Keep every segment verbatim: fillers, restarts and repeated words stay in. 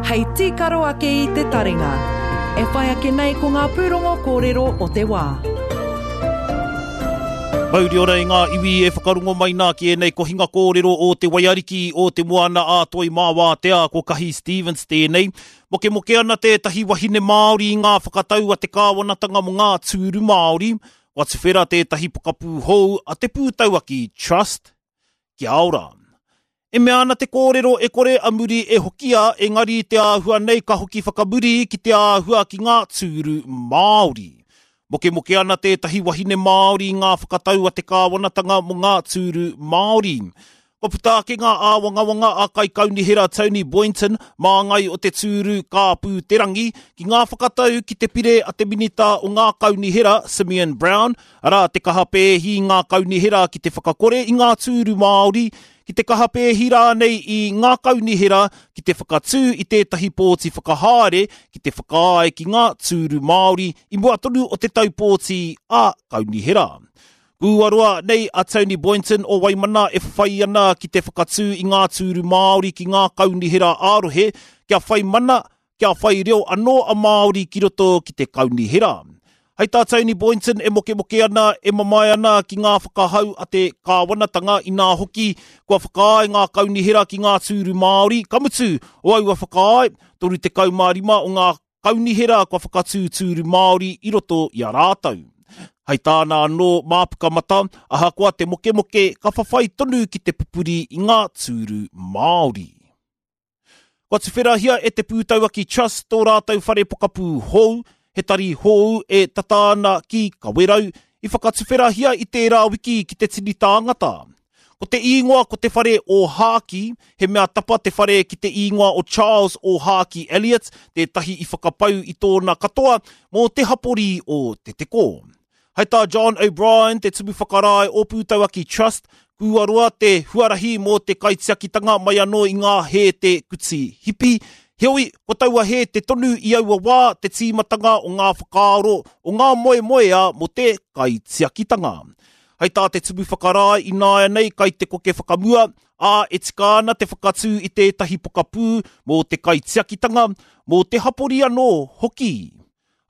hei tīkaro ake i te taringa. E whai ake nei ko ngā pūrongo kōrero o te wā. Mauri ora i ngā iwi e whakarongo mai nā ki ēnei kohinga kōrero o te waiariki o te moana a Toi Māwātea ko Kahi Stevens tēnei. Mokemoke ana tētahi wahine Māori i ngā whakatau a te kāwanatanga mō ngā tūru Māori. Kua tuwhera tētahi pokapū hou a te Pūtauaki Trust. Kia ora. E mea ana te kōrero e kore a muri e hokia, engari te āhua nei ka hoki whakamuri ki te āhua ki ngā tūru Māori. Mokemoke ana tētahi wahine Māori i ngā whakatau a te kāwanatanga mō ngā tūru Māori. Kua puta ake ngā āwangawanga a Kaikaunihera Tony Boynton, māngai o te tūru Kāpū Te Rangi, ki ngā whakatau ki te pire a te minita o ngā kaunihera Simeon Brown, arā te kaha pēhi i ngā kaunihera ki te whakakore i ngā tūru Māori, ki te kaha pēhi rānei i ngā kaunihera ki te whakatū i tētahi pōti whakahaere ki te whakaae ki ngā tūru Māori i mua tonu o te tau pōti a kaunihera. Kua nei a Tony Boynton o Waimana e whai ana ki te whakatū i ngā tūru Māori ki ngā kaunihera ā-rohe kia whai mana, kia whai reo anō a Māori ki roto ki te kaunihera. Hei tā Tony Boynton e mokemoke ana, e mamae ana ki ngā whakahau a te kāwanatanga inā hoki kua whakaae ngā kaunihera ki ngā tūru Māori, ka mutu o aua whakaae, toru tekau mā rima o ngā kaunihera kua whakatū tūru Māori i roto i a rātou. Hei tāna anō māpuka mata, ahakoa te mokemoke ka whawhai tonu ki te pupuri i ngā tūru Māori. Kua tuwherahia e te Pūtauaki Trust tō rātou whare pokapū hou, he tari hou e tata ana ki Kawerau, i whakatuwherahia i tērā wiki ki te tini tāngata. Ko te īngoa ko te whare o Hāki, he mea tapa te whare ki te īngoa o Charles o Hāki Elliot, tētahi i whakapau i tōna katoa mō te hapori o Te Teko. Hei tā John O'Brien, te tumu whakarae o Pūtauaki Trust, kua roa te huarahi mō te kaitiakitanga mai anō i ngā hēte kuti hipi. Heoi, ko taua hēte tonu i aua wā te tīmatanga o ngā whakaaro o ngā moemoea mō te kaitiakitanga. Hei tā te tumu whakarae i nāianei kai te koke whakamua, ā e tika ana te whakatū i tētahi pokapū mō te kaitiakitanga, mō te hapori anō hoki.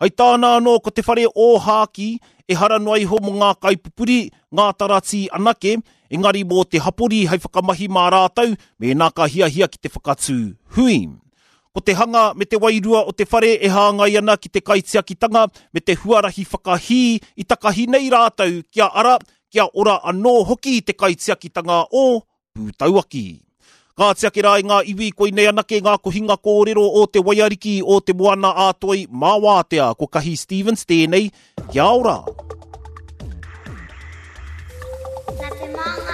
Hei tāna anō ko te whare o Hāki, ehara noa iho mō ngā kaipupuri, ngā taratī anake, engari mō te hapori hei whakamahi mā rātou, mēnā ka hiahia ki te whakatū hui. Ko te hanga me te wairua o te whare e hāngai ana ki te kaitiakitanga me te huarahi whakahī i takahi nei rātou kia ara, kia ora anō hoki te kaitiakitanga o Pūtauaki. Ka tiake rā i ngā iwi koinei anake ngā kohinga kōrero o te waiariki o te moana a Toi Māwātea ko Kahi Stevens tēnei, kia ora. Nā te Māngai